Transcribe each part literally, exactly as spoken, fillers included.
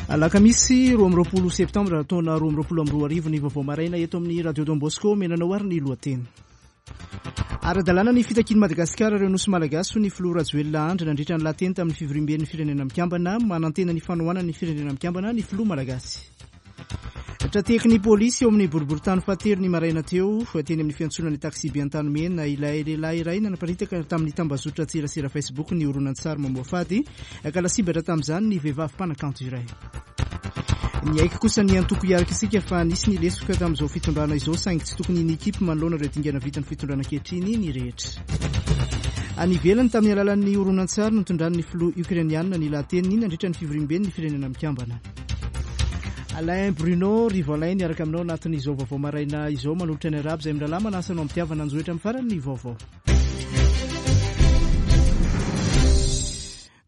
Alakamisy roa amby roapolo septambra taona roa amby roapolo amby roa arivo ny vaovao maraina eto amin'ny Radio Don Bosco. Menanao ary ny lohateny. Ara-dalàna ny fitakian'i Madagasikara ireo nosy malagasy hoy ny filoha Rajoelina Andry nandritra ny lahateny tamin'ny fivoriamben'ny firenena mikambana. Manantena ny fanohanan'ny firenena mikambana ny filoha malagasy. Trateky ny polisy eo amin'ny boriborintany fahatelo ny maraina teo teny amin'ny fiantsonana ny taksibe Antanimena ilay lehilahy iray nanaparitaka tamin'ny tambazotra tserasera Facebook ny horonantsary mamoafady ka lasibatra tamin'izany ny vehivavy mpanakanto iray. Niaiky kosa ny antoko Hiaraka Isika fa nisy ny lesoka tamin'izao fitondrana izao saingy tsy tokony nikipy manoloana ireo dingana vitan'ny fitondrana ankehitriny ny rehetra. Any ivelany tamin'ny alalan'ny horonantsary nitondran'ny filoha ukrainianina ny lahateniny nandritra ny fivoriamben'ny firenena mikambana. Alain Bruno Rivo Alain niaraka aminao anatin'izao vaovao maraina izao manolotra ny arabo izay mirahalahy manasa anao am-pitiavana anjohitra amin'ny farany ny vaovao.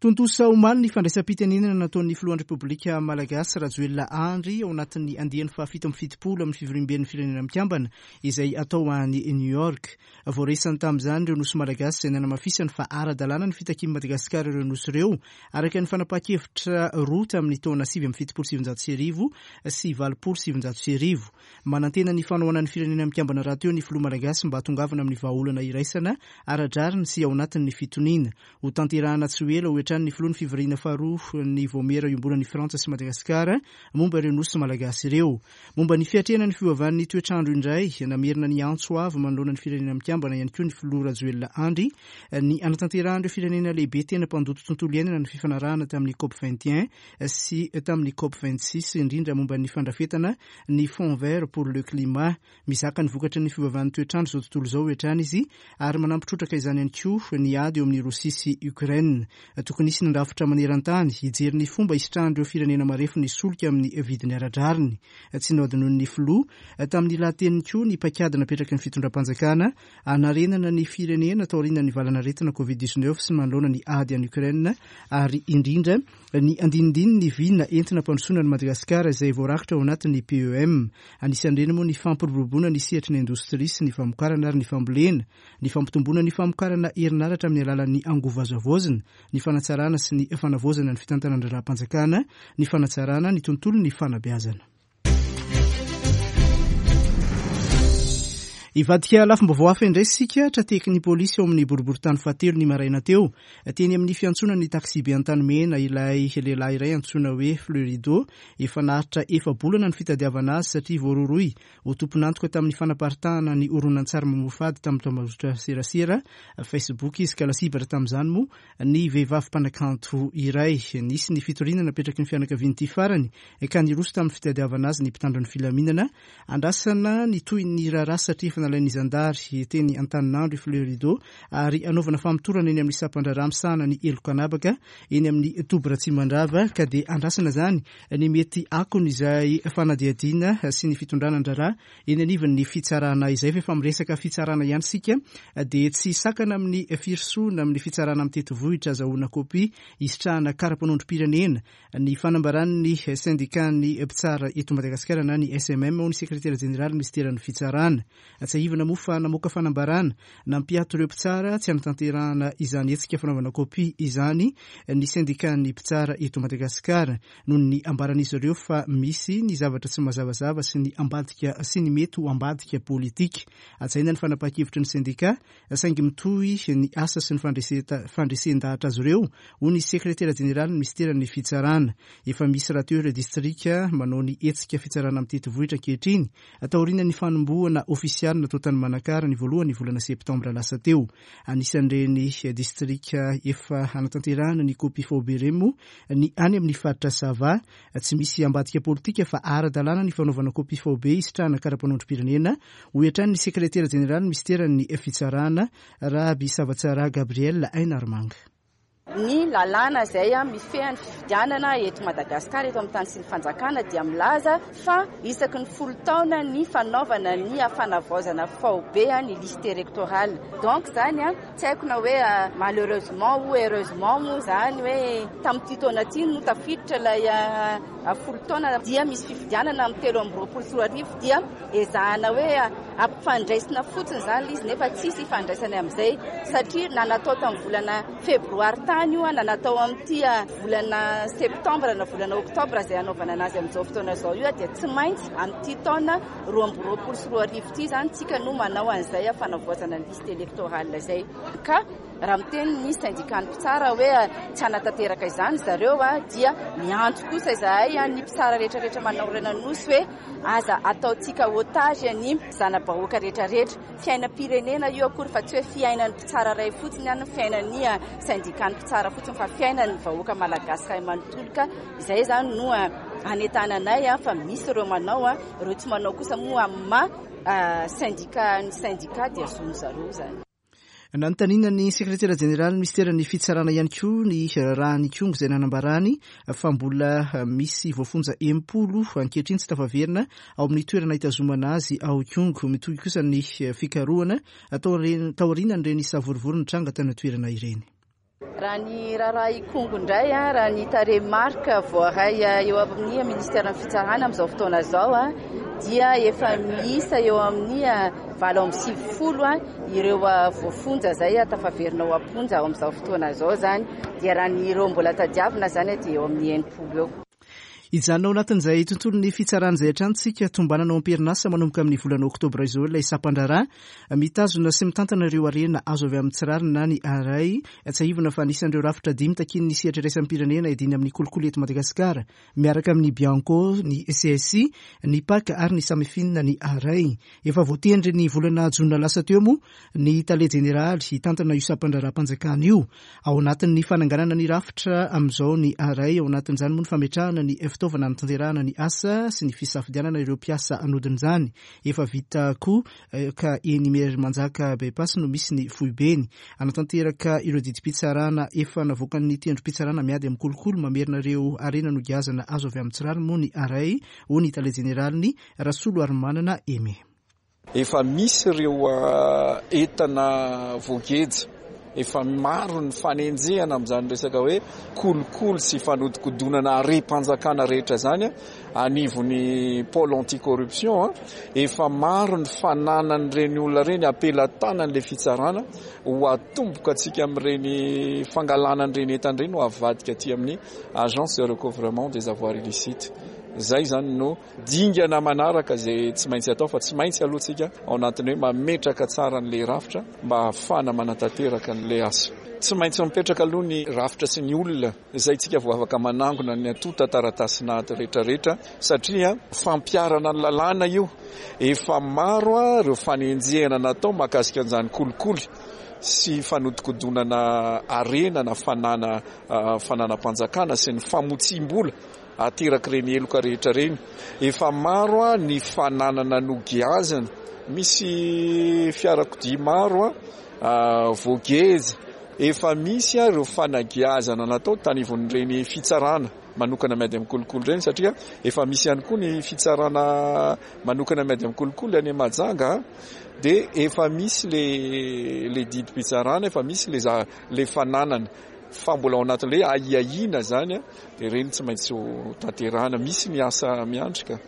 Tontosa omaly ny fandraisam-pitenenana nataon'ny filohan'ny Repoblika Malagasy Rajoelina Andry ao anatin'ny andiany fahafito amby fitopolo amin'ny fivoriamben'ny firenena mikambana izay atao any New York. Voaresany tamin'izany ireo nosy malagasy izay nanamafisany fa ara-dalàna ny fitakian'i Madagasikara ireo nosy ireo araka ny fanapahan-kevitra roa tamin'ny taona sivy amby fitopolo sy sivinjato sy arivo sy valopolo sy sivinjato sy arivo. Manantena ny fanohanan'ny firenena mikambana rahateo ny filoha malagasy mba hahatongavana amin'ny vahaolana iraisana ara-drariny sy ao anatin'ny fitoniana. Ho tanterahana tsy ho ela ho hatrany ny filoha ny fivoriana faharoa ny vaomiera iombonan'ny Frantsa sy Madagasikara momba ireo nosy malagasy ireo. Momba ny fiatrehana ny fiovan'ny toetrandro indray, namerina ny antso avo manoloana ny firenena mikambana ihany koa ny filoha Rajoelina Andry ny anatanterahan'ireo firenena lehibe tena mpandoto tontolo iainana ny fifanarahana tamin'ny COP vingt et un sy tamin'ny COP vingt-six indrindra momba ny fandrafetana ny Fonds vert pour le climat. Mizaka ny vokatry ny fiovan'ny toetrandro izao tontolo izao hatrany izy ary manampy trotraka izany ihany koa ny ady eo amin'ny Rosia sy Ukraine. Tokony hisy ny rafitra maneran-tany hijery ny fomba hisitrahan'ireo firenena marefo ny solika amin'ny vidiny ara-drariny. Tsy nohadinoin'ny filoha tamin'ny lahateniny koa ny paikady napetraky ny fitondram-panjakana hanarenana ny firenena taorian'ny valanaretina covid dix-neuf sy manoloana ny ady any Ukraine ary indrindra ny andinindininy vina entina ampandrosoana ny Madagasikara izay voarakitra ao anatin'ny P E M. Anisan'ireny moa ny fampiroboroboana ny sehatry ny indostria sy ny famokarana ary ny fambolena, ny fampitomboana ny famokarana herinaratra amin'ny alalan'ny angovo azo havaozina, ny fanatsarana sy ny fanavaozana ny fitantanana raharaham-panjakana, ny fanatsarana ny tontolon'ny fanabeazana. Hivadika lafim-baovao hafa indray isika, trateky ny polisy eo amin'ny boriborintany fahatelo ny maraina teo. Teny amin'ny fiantsonana ny taksibe Antanimena ilay lehilahy iray antsoina hoe Fleurido. Efa naharitra efa-bolana ny fitadiavana azy satria voarohirohy ho tompon'antoka tamin'ny fanaparitahana ny horonantsary mamoafady tamin'ny tambajotra serasera Facebook izy ka lasibatra tamin'izany moa ny vehivavy mpanakanto iray. Nisy ny fitoriana napetraky ny fianakavian'ity farany ka niroso tamin'ny fitadiavana azy ny mpitandro ny filaminana. Andrasana ny tohin'ny raharaha satria efa nalain'ny zandary teny Antaninandro i Fleurido ary anaovana famotorana eny amin'ny sampan-draharaha misahana ny heloka anabaka eny amin'ny toby Ratsimandrava ka dia andrasana izany ny mety akony izay fanadihadiana sy ny fitondrana ny raharaha eny anivon'ny fitsarana izay. Fa efa miresaka fitsarana ihany isika dia tsy sakana amin'ny firosoana amin'ny fitsarana mitety vohitra azahoana kopia hisitrahana kara-panondrom-pirenena ny fanambaran'ny syndikan'ny mpitsara eto Madagasikara na ny S M M ho ny sekretera jeneraly minisiteran'ny fitsarana. Tsiahivina moa fa namoaka fanambarana nampiato ireo mpitsara tsy hanatanterahana izany hetsika fanaovana kopia izany ny syndikan'ny mpitsara eto Madagasikara noho ny ambaran'izy ireo fa misy ny zavatra tsy mazavazava sy ny ambadika sy ny mety ho ambadika politika. Hajaina ny fanapahan-kevitry ny syndika saingy mitohy ny asa sy ny fandreseta-, fandresen-dahatra azy ireo hoy ny sekretera jeneraly minisiteran'ny fitsarana. Efa misy rahateo ireo distrika manao ny hetsika fitsarana mitety vohitra ankehitriny taorian'ny fanombohana ofisialy natao tany Manakara ny voalohany volana septambra lasa teo. Anisan'ireny distrika efa hanatanterahana ny kopia faobe ireny moa ny any amin'ny faritra Sava. Tsy misy ambadika politika fa ara-dalàna ny fanaovana kopia faobe hisitrahana kara-panondrom-pirenena hoy hatrany ny sekretera jeneraly minisiteran'ny fitsarana Raby Savatsara Gabriel Ainarmanga. Ny lalàna izay mifehy ny fifidianana eto Madagasikara eto amin'ny tany sy ny fanjakana dia milaza fa isaky ny folo taona ny fanaovana ny fanavaozana faobe ny liste électorale. Donc zany a, tsy haiko na hoe malheureusement ou heureusement moa zany hoe tamin'ity taona ity no tafiditra ilay folo taona dia misy fifidianana amin'ny telo amby roapolo sy roa arivo, dia ezahana hoe ampifandraisina fotsiny izany ilay izy, nefa tsisy ifandraisany amin'izay, satria na natao tamin'ny volana febroary tany io, na natao amin'ity volana septambra na volana oktobra izay hanaovana anazy amin'izao fotoana izao io, dia tsy maintsy amin'ity taona roa amby roapolo sy roa arivo ity izany tsika no manao an'izay fanavaozana ny liste électorale izay. Ka raha miteny ny syndicat mpitsara hoe tsy hanatanteraka izany zareo, dia miantso kosa izahay ny mpitsara rehetrarehetra manorina nosy hoe aza ataontsika otage ny zana-bahoaka rehetrarehetra. Fiainam-pirenena io akory fa tsy hoe fiainan'ny mpitsara iray fotsiny ihany, fiainan'ny syndicat mpitsara fotsiny, fa fiainan'ny vahoaka malagasy iray manontolo. Ka izay izany no anentananay fa misy ireo manao, ireo tsy manao kosa moa amin'ny maha syndicat ny syndicat dia zon'ny zareo izany. Nanontaniana ny sekretera jeneraly minisiteran'ny fitsarana ihany koa ny raharahan'Ikongo izay nanambarany fa mbola misy voafonja enimpolo ankehitriny tsy tafaverina ao amin'ny toerana hitazomana azy ao Ikongo. Mitohy kosa ny fikarohana taorian'ireny savorovoro nitranga tany an-toerana ireny. Raha ny raharaha Ikongo indray, raha ny tarehimarika voaray eo amin'ny ministeran'ny fitsarana amin'izao fotoana izao, dia efa miisa eo amin'ny valo amby sivifolo ireo voafonja izay tafaverina ao am-ponja ao amin'izao fotoana izao izany, dia raha ny ireo mbola tadiavina izany dia eo amin'ny enimpolo eo. Hijanona ao anatin'izay tontolon'ny fitsarana izay hatrany tsika. Tombanana ao am-perinasa manomboka amin'ny volana oktobra izao ilay sampan-draharaha mitazona sy mitantana ireo harena azo avy amin'ny tsy rariny na ny ARAI. Tsiahivina fa anisan'ireo rafitra dimy takian'ny sehatra iraisam-pirenena hiadiana amin'ny kolikoly eto Madagasikara miaraka amin'ny Bianco, ny C S I, ny P A C ary ny Samifin ny ARAI. Efa voatendry ny volana jona lasa teo moa ny tale jeneraly hitantana io sampan-draharaham-panjakana io. Ao anatin'ny fananganana ny rafitra amin'izao ny ARAI, ao anatin'izany moa ny fametrahana ny fitaovana hanatanterahana ny asa sy ny fisafidianana ireo mpiasa anodin'izany. Efa vita koa ka eny Imerimanjaka By-pass no misy ny foibeny. Anatanteraka ireo didim-pitsarana efa navoakan'ny tendrom-pitsarana miady amin'ny kolikoly mamerina ireo harena nogiazana azo avy amin'ny tsy rariny moa ny ARAI, hoy ny tale jeneraliny Rasolo Arimanana Aimé. Efa misy ireo entana voageja, efa maro ny fanenjehana amin'izany resaka hoe kolikoly sy fanodikodonana harem-panjakana rehetra zany anivon'ny pôle anticorruption. Efa maro ny fananan'ireny olona ireny ampelatanan'le fitsarana ho atomboka atsika amin'ireny fangalana an'ireny entana ireny ho avadika aty amin'ny Agence de recouvrement des avoirs illicites. Zay zany no dingana manaraka zay tsy maintsy atao, fa tsy maintsy aloha tsika ao anatiny hoe mametraka tsara n'le rafitra mba ahafahana manatanteraka n'le asa. Tsy maintsy mipetraka aloha ny rafitra sy ny olona zay tsika vo afaka manangona ny atota taratasinady rehetrarehetra, satria fampiarana ny lalàna io. Efa maro a ireo fanenjehana natao mahakasika an'izany kolikoly sy fanodikodonana harena na fanana fananam-panjakana sy ny famotsim-bola ateraky ireny heloka rehetra reny. Efa maro a ny fananana nogiazana, misy fiarakodia maro a voageja, efa misy a ireo fanagiazana natao tanivon'ireny fitsarana manokana miady amin'ny kolikoly ireny, satria efa misy ihany koa ny fitsarana manokana miady amin'ny kolikoly any Mahajanga, dia efa misy le le didim-pitsarana, efa misy le za le fananana, fa mbola ao anatin'le ahiahiana zany a dia ireny tsy maintsy ho tanterahana. Misy ny asa miandrika.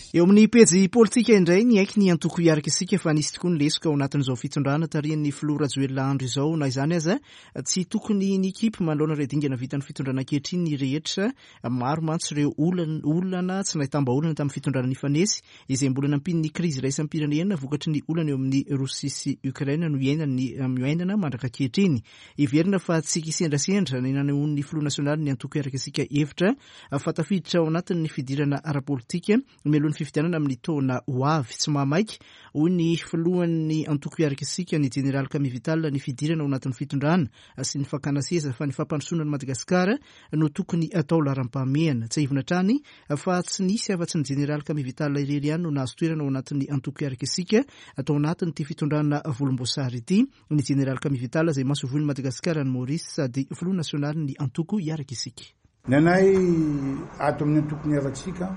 Eo amin'ny pejy politika indray, niaiky ny antoko Hiaraka Isika fa nisy tokoa ny lesoka ao anatin'izao fitondrana tarihan'ny filoha Rajoelina Andry izao. Na izany aza, tsy tokony nikipy manoloana ireo dingana vitan'ny fitondrana ankehitriny ny rehetra. Maro mantsy ireo olana tsy nahitam-bahaolana tamin'ny fitondrana nifanesy, izay mbola nampian'ny krizy iraisam-pirenena vokatry ny olana eo amin'ny Rosia sy Ukraine no iainany miainana mandraka ankehitriny. Heverina fa tsy kisendrasendra ny nanehoan'ny filoha nasionaly ny antoko Hiaraka Isika hevitra fa tafiditra ao anatin'ny fidirana ara-politika mialohan'ny fifidianana amin'ny taona ho avy. Tsy mahamaika, hoy ny filohan'ny antoko Hiaraka Isika, ny jeneraly Camille Vital, ny fidirana ao anatin'ny fitondrana sy ny fakana seza, fa ny fampandrosoana ny Madagasikara no tokony atao laharam-pahamehana. Tsiahivina hatrany fa tsy nisy afa-tsy ny jeneraly Camille Vital irery ihany no nahazo toerana ao anatin'ny antoko Hiaraka Isika atao anatin'ity fitondrana volomboasary ity, ny jeneraly Camille Vital izay masoivohon'i Madagasikara any Maurice sady filoha nasionaly ny antoko Hiaraka Isika. Ny anay ato amin'ny antoko Hiaraka Isika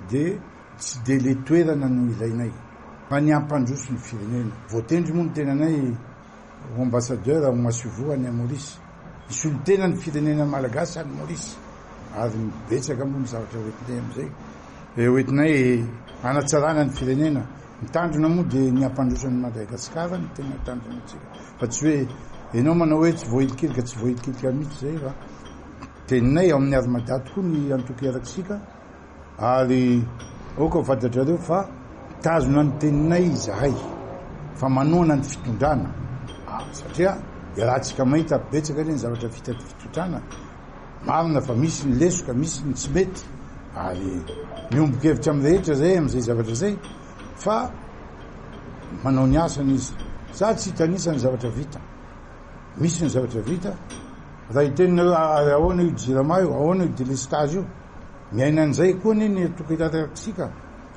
dia tsy de le toerana no ilainay fa ny ampandroso ny firenena. Voatendry moa ny tenanay ho ambassadeur, ho masoivoho any Maurice. Hisolo tena ny firenena malagasy any Maurice, ary betsaka moa ny zavatra hoentinay amin'izay, hoentinay hanatsarana ny firenena. Ny tanjona moa dia ny hampandroso an'i Madagasikara no tena tanjona antsika, fa tsy hoe ianao manao hoe tsy voahilikilika, tsy voahilikilika mihitsy izay, fa teninay ao amin'ny Armada tokoa ny antoko Iaraksika, ary aoka ho fantatrareo fa mitazona ny teninay izahay fa manohana ny fitondrana, satria iarahantsika mahita betsaka anie ny zavatra vita fitondrana. Marina fa misy ny lesoka, misy ny tsy mety, ary miombon-kevitra amin'ny rehetra zay amin'izay zavatra zay, fa manao ny asany izy. Za tsy hitanisa ny zavatra vita, misy ny zavatra vita. Raha hiteninareo ary ahoana io Jirama io, ahoana io délestage io, miaina an'izay koa anie ny antoko Iaraksika,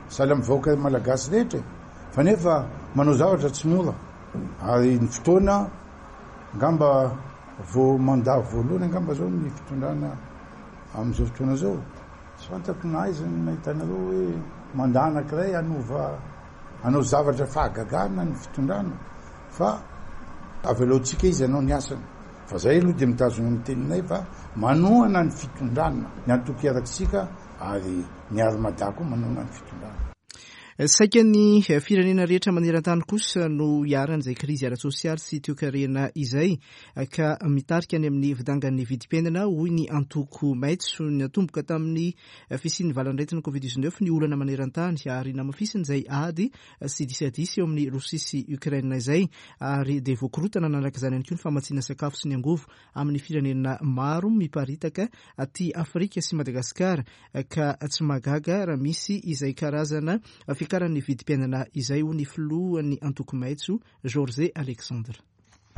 sahala amin'ny vahoaka malagasy rehetra, fa nefa manao zavatra tsy mora. Ary ny fotoana angamba vao mandat voalohany angamba zao ny fitondrana amin'izao fotoana zao, tsy fantako na aiza no nahitanareo hoe mandat anankiray hanova hanao zavatra fahagagana ny fitondrana, fa avelaontsika izy hanao ny asany. Fa zay aloha dia mitazona ny teninay fa manohana ny fitondrana ny antoko Iaraksika, ary ny Armada koa manohana ny fitondrana. Saika ny firenena rehetra maneran-tany kosa no iharan'izay krizy ara-tsosialy sy toekarena izay, ka mitarika any amin'ny fidangan'ny vidim-piainana, hoy ny antoko Maitso. Natomboka tamin'ny fisian'ny valanaretina covid dix-neuf ny olana maneran-tany, ary namafisiny izay ady sy disadisa eo amin'ny Rosia sy Ukraine izay, ary dia voakorotana nanaraka izany ihany koa ny famatsiana sakafo sy ny angovo amin'ny firenena maro miparitaka aty Afrika sy Madagasikara, ka tsy mahagaga raha misy izay karazana fiakaran'ny vidim-piainana izay, hoy ny filohan'ny antoko Maitso, Georges Alexandre.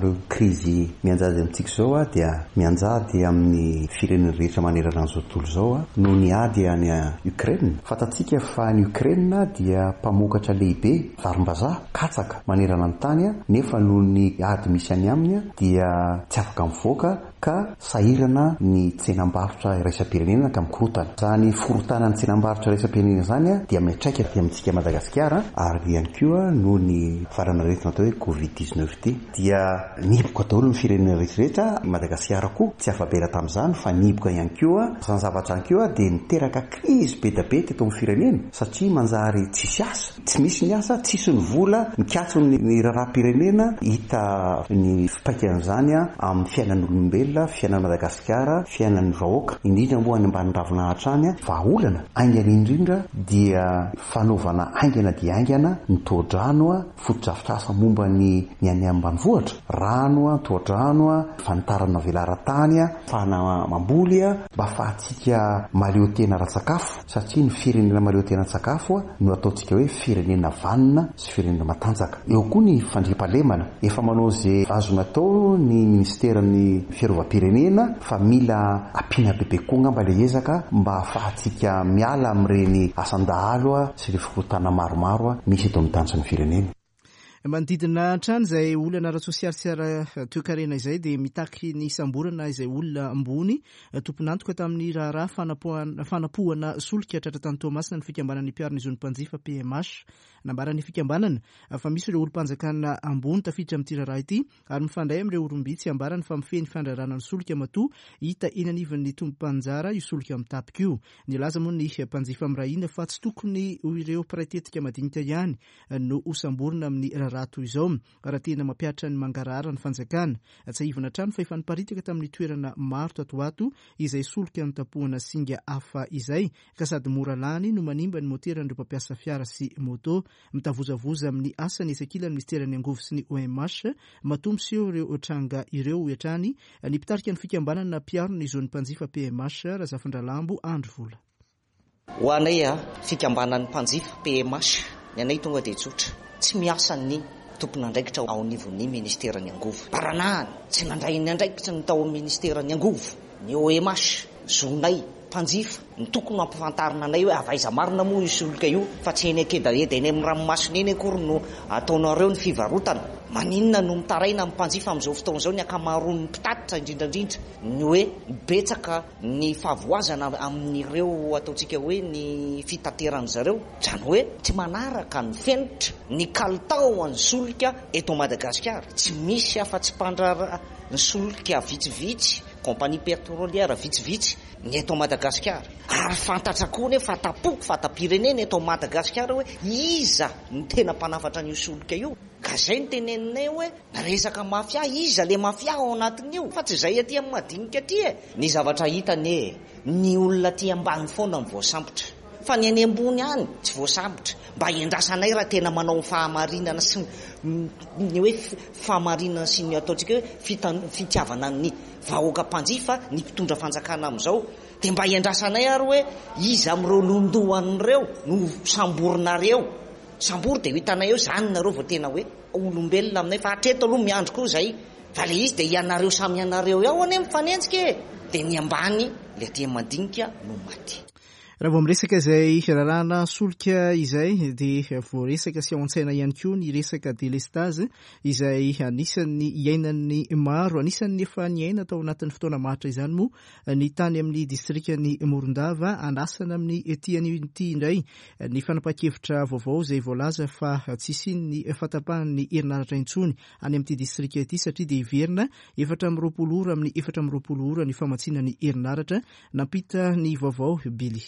Ireo krizy mianjady amintsika izao a dia mianjady amin'ny firenena rehetra manerana an'izao tontolo izao a noho ny ady any Ukraine. Fantatsika fa ny Ukraine dia mpamokatra lehibe varim-bazaha, katsaka manerana ny tany a, nefa noho ny ady misy any aminy a dia tsy afaka mivoaka, ka sahirana ny tsenam-barotra iraisam-pirenena ka mikorotana. Izany forotana ny tsenam-barotra iraisam-pirenena izany a dia miantraika aty amintsika Madagasikara, ary ihany koa noho ny valanaretina atao hoe covid dix-neuf ity dia nihiboka daholo ny firenena rehetrarehetra. Madagasikara koa tsy afa-bela tamin'izany fa nihiboka ihany koa. Izany zavatra ihany koa dia niteraka krizy be dia be teto amin'ny firenena, satria manjary tsisy asa, tsy misy ny asa, tsisy ny vola, mikatso ny raharaham-pirenena. Hita ny fipaikan'izany amin'ny fiainan'olombelona, fiainan'i Madagasikara, fiainan'ny vahoaka, indrindra moa any ambany ravinahitra any. Vahaolana haingana indrindra dia fanaovana haingana dia haingana ny tohadrano, fotodrafitrasa momba ny ny any ambanivohitra, rano, tohadrano, fanitarana velaran-tany, fahana mamboly, mba ahafahantsika mahaleo tena ara-tsakafo, satria ny firenena mahaleo tena ara-tsakafo no ataontsika hoe firenena vanona sy firenena matanjaka. Eo koa ny fandriampahalemana, efa manao izay azo natao ny ministeran'ny fiarovam-pirenena, fa mila ampiana bebe koa angamba ilay ezaka mba ahafahantsika miala amin'ireny asan-dahalo sy ireo fikorontana maromaro misy eto amin'ny tany sy ny firenena. Manodidina hatrany izay olana ara-tsosialy sy ara-toekarena izay dia mitaky ny samborana izay olona ambony tompon'antoka tamin'ny raharaha fanapohana, fanapohana solika tratra tany Toamasina ny fikambanan'ny mpiaro ny zon'ny mpanjifa P M H. Nambaran'ny fikambanana fa misy ireo olom-panjakana ambony tafiditra amin'ity raharaha ity ary mifandray amin'ireo olom-bitsy ambarany fa mifehy ny fandraharahana ny solika matoa hita eny anivon'ny tompom-panjara io solika mitapika io. Nilaza moa ny mpanjifa mirahina fa tsy tokony ho ireo mpiray tetika madinika ihany no hosamborina amin'ny raharaha toy izao raha tena mampihatra ny mangarahara ny fanjakana. Tsiahivina hatrany fa efa niparitaka tamin'ny toerana maro tato ho ato izay solika notapohana singa hafa izay, ka sady mora lany no manimba ny moteran'ireo mpampiasa fiara sy moto. Mitavozavoza amin'ny asany etsy ankilan'ny ministeran'ny angovo sy ny O M H matoa miseho ireo tranga ireo, hoy hatrany ny mpitarika ny fikambanana mpiaro ny zon'ny mpanjifa P M H, Razafindralambo Andry Vola. Ho anay a, fikambanan'ny mpanjifa P M H, ny anay tonga dia tsotra, tsy miasa ny tompon'andraikitra ao anivon'ny ministeran'ny angovo. Baranahany, tsy nandray ny andraikitra ny tao amin'ny ministeran'ny angovo, ny O M H, zonay mpanjifa, ny tokony hampifantarina anay hoe avy aiza marina moa io solika io, fa tsy eny an-kedaeda eny amin'ny ranomasina eny akory no ataonareo ny fivarotana. Maninona no mitaraina amin'ny mpanjifa amin'izao fotoana izao ny ankamaroan'ny mpitatitra indrindrandrindra ny hoe betsaka ny fahavoazana amin'ireo ataontsika hoe ny fitaterana zareo, izany hoe tsy manaraka ny fenitra ny kalitao an'ny solika eto Madagasikara. Tsy misy afa-tsy mpandraharaha ny solika vitsivitsy, compagnie pétrolière vitsivitsy ny eto Madagasikara. Ary fantatra koa nefa fatapoko fata-pirenena eto Madagasikara hoe iza no tena mpanafatra an'io solika io. Ka zay ny teneninay hoe resaka mafia, iza le mafia ao anatin'io, fa tsy zay aty amin'ny madinika aty e. Ny zavatra hitany e, ny olona aty ambany foana no voasambotra, fa ny any ambony any tsy voasambotra. Mba hiandrasanay raha tena manao fahamarinana sy ny hoe fahamarinana sy ny ataontsika hoe fitiavana ny vahoaka mpanjifa ny mpitondra fanjakana amin'izao, dia mba hiandrasanay ary hoe iza amin'ireo londohan'ireo no samborinareo. Sambory dia ho hitanay eo zany nareo vao tena hoe olombelona aminay, fa hatreto aloha miandry koa zay. Fa le izy dia ianareo samy ianareo ao anie mifanenjika e, dia ny ambany le aty madinika no maty. Raha vao miresaka izay raharahana solika izay dia voaresaka sy ao an-tsaina ihany koa ny resaka délestage izay anisan'ny iainan'ny maro, anisan'ny efa niaina tao anatin'ny fotoana maharitra izany moa ny tany amin'ny distrikan'i Morondava. Andrasana amin'ny ety anio ity indray ny fanapahan-kevitra vaovao izay voalaza fa tsy hisian'ny fahatapahan'ny herinaratra intsony any amin'ity distrika ity, satria dia hiverina efatra amby roapolo ora amin'ny efatra amby roapolo ora ny famatsiana ny herinaratra. Nampita ny vaovao Billy.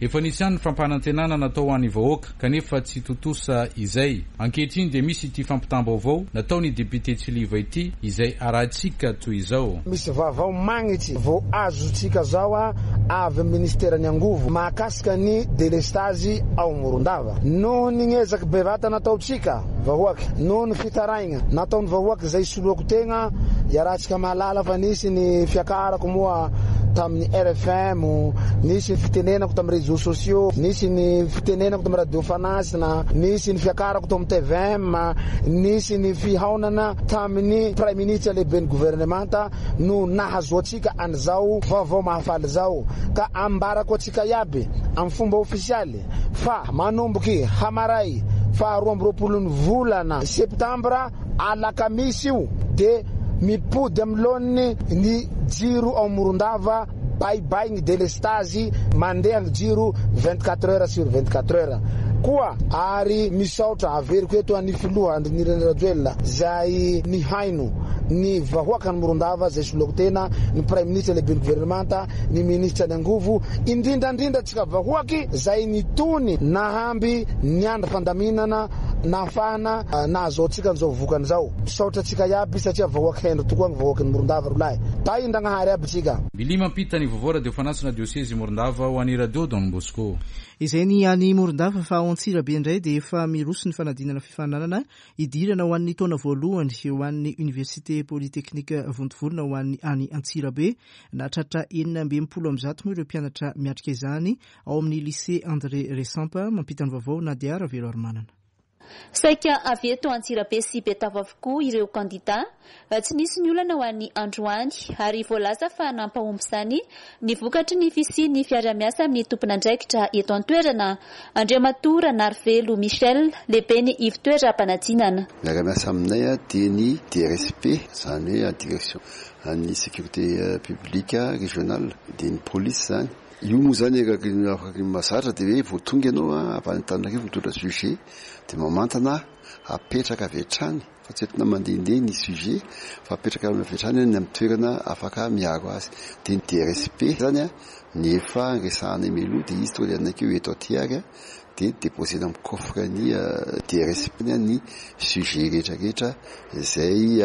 Efa nisy ihany ny fampanantenana natao ho an'ny vahoaka kanefa tsy tontosa izay. Ankehitriny dia misy ity fampitam-baovao nataon'ny député Tsiliva ity izay arahantsika toy izao. Misy vaovao magnitsy vao azontsika zao a avy amin'ny ministeran'ny angovo mahakasika ny délestage ao Morondava. Noho ny ezaky bevata nataontsika vahoaka, noho ny fitaraigna nataon'ny vahoaka izay soloako tegna, iarahantsika mahalala fa nisy ny fiakarako moa tamin'ny R F M, nisy ny fitenenako tamin'ny réseaux sociaux, nisy ny fitenenako tamin'ny radio Fanasina, nisy ny fiakarako tamin'ny T V M, nisy ny fihaonana tamin'ny Prime Ministre lehiben'ny gouvernemanta no nahazoantsika an'izao vaovao mahafaly zao. Ka ambarako antsika iaby amin'ny fomba ofisialy fa manomboky hamaray faharoa amby roapolo ny volana septambra alakamisy io dia mipody amin'ny laoniny ny jiro ao Morondava. Bye bye ny délestage, mandeha ny jiro vingt-quatre heures sur vingt-quatre heures. Koa ary misaotra averiko eto an'ny filoha Andry Nirina Rajoelina zay nihaino ny vahoaka ny Morondava zay soloako tena, ny Prime Ministre lehiben'ny gouvernemanta, ny ministre ny angovo, indrindra indrindra tsika vahoaky zay nitony nahamby niandry fandaminana nahafahana nahazoantsika an'izao vokany zao. Misaotra antsika iaby satria vahoaka hendry tokoa ny vahoaky ny Morondava rolahy. Tahindragnahary aby tsika. Billy mampita ny vaovao radio Fanasina diocese Morondava ho an'ny radio Don Bosco. Izay ny any Morondava, fa ao Antsirabe indray dia efa miroso ny fanadinana fifaninanana hidirana ho an'ny taona voalohany ho an'ny Université Polytechnique Vontovorona ho an'ny any Antsirabe. Nahatratra enina amby enimpolo amby zato moa ireo mpianatra miatrika izany ao amin'ny lycée André Resampa. Mampita ny vaovao Nadia Raveloarimanana. Saika avy eto Antsirabe sy Betafo avokoa ireo kandida. Tsy nisy ny olana ho an'ny androany ary voalaza fa nampahomby izany ny vokatry ny fisian'ny fiarahamiasa amin'ny tompon'andraikitra eto an-toerana. Andriamatoa Ranarivelo Michel, lehiben'ny ivon-toeram-panadinana. Miara-miasa aminay dia ny D R S P, izany hoe direction an'ny sécurité publique régionale, dia ny police zany. Io moa zany eraky ny afaka ny mahazatra dia hoe vao tonga ianao avy any Antananarivo mitondra sujet dia mamantana apetraka avy hatrany, fa tsy entina mandehandeha ny sujet fa apetraka avy hatrany any amin'ny toerana afaka miaro azy. Dia ny D R S P zany a, ny efa resahana mialoha dia izy tonga dia nanaiky hoe eto aty ary a, dia déposena amin'ny coffre ny D R S P ny sujet rehetrarehetra izay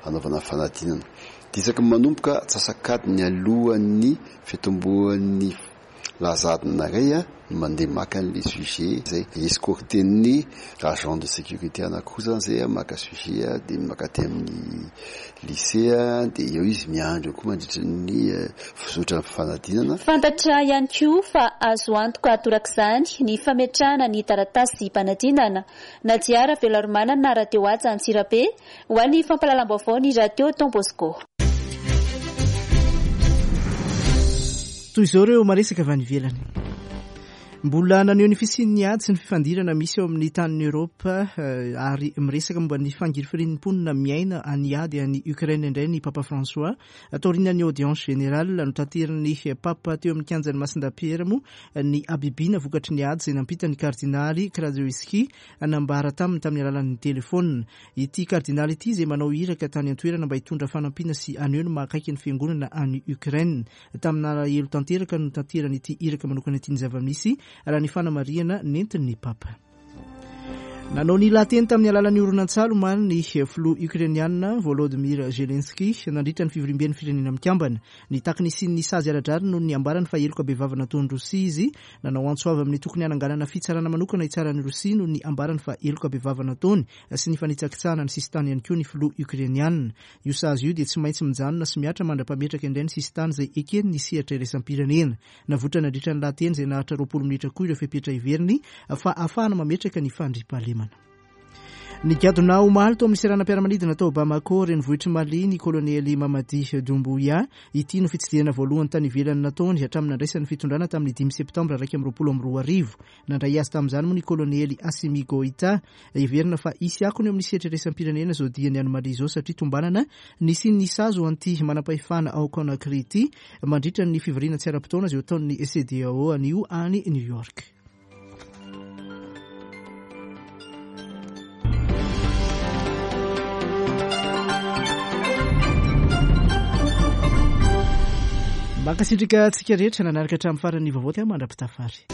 anaovana fanadinana. Dia isaky ny manomboka antsasak'adiny alohan'ny fitomboan'ny lazadina iray a, no mandeha maka an'ilay sujet izay escorten'ny agent de sécurité anankiroa zany izay a, maka sujet a, dia maka aty amin'ny lycée a, dia eo izy miandry eo koa mandritra ny fizotra ny fanadinana. Fantatra ihany koa fa azo antoka torak'izany ny fametrahana ny taratasy mpanadinana. Nadia Raveloarimanana, Radio Haja Antsirabe, ho an'ny fampahalalam-baovao ny Radio Don Bosco. Toy izao ireo maresaka avy any ivelany. Mbola naneho ny fisian'ny ady sy ny fifandirana misy eo amin'ny tanin'i Eoropa ary miresaka momba ny fangirifirian'ny mponina miaina any ady any Ukraine indray ny Papa François. Taorian'ny audience générale notaterin'ny Papa teo amin'ny kianjan'ny Masindahy Pierre moa ny habibiana vokatry ny ady izay nampita ny kardinaly Krajewski nambara taminy tamin'ny alalan'ny telefônina. Ity kardinaly ity izay manao iraka tany an-toerana mba hitondra fanampiana sy haneho ny mahakaiky ny fiangonana any Ukraine. Tamin'alahelo tanteraka no tanterany ity iraka manokana ity ny zava-misy raha ny fanamarihana nentin'ny Papa. Nanao ny lahateny tamin'ny alalan'ny horonantsary omaly ny filoha ukrainiana Volodymyr Zelensky nandritra ny fivoriamben'ny firenena mikambana. Nitaky ny hisian'ny sazy ara-drariny noho ny ambarany fa heloka bevava nataon'i Rosia izy. Nanao antso avy amin'ny tokony hananganana fitsarana manokana hitsaran'i Rosia noho ny ambarany fa heloka bevava nataony sy ny fanitsakitsahana ny sisintany ihany koa ny filoha ukrainiana. Io sazy io dia tsy maintsy mijanona sy mihatra mandra-pametraka indray ny sisintany izay ekeny ny sehatra iraisam-pirenena. Navoitra nandritra ny lahateny izay naharitra roapolo minitra koa ireo fepetra heveriny fa ahafahana mametraka ny fandriampahalemana. Nigadona omaly tao amin'ny seranam-piaramanidina tao Bamako, renivohitr'i Mali, ny kolonely Mamadi Doumbouya. Ity no fitsidihana voalohany tany ivelany nataony hatramin'ny nandraisany fitondrana tamin'ny dimy septambra iraika amby roapolo amby roa arivo. Nandray azy tamin'izany moa ny kolonely Assimi Goïta. Heverina fa hisy akony eo amin'ny sehatra iraisam-pirenena izao diany any Mali izao satria tombanana nisian'ny sazy ho an'ity manam-pahefana ao Conakry ity mandritra ny fivoriana tsy ara-potoana izay ho ataon'ny C D A O anio any New York. Mankasitraka antsika rehetra nanaraka hatramin'ny faran'ny vaovao, ty mandra-pitafary.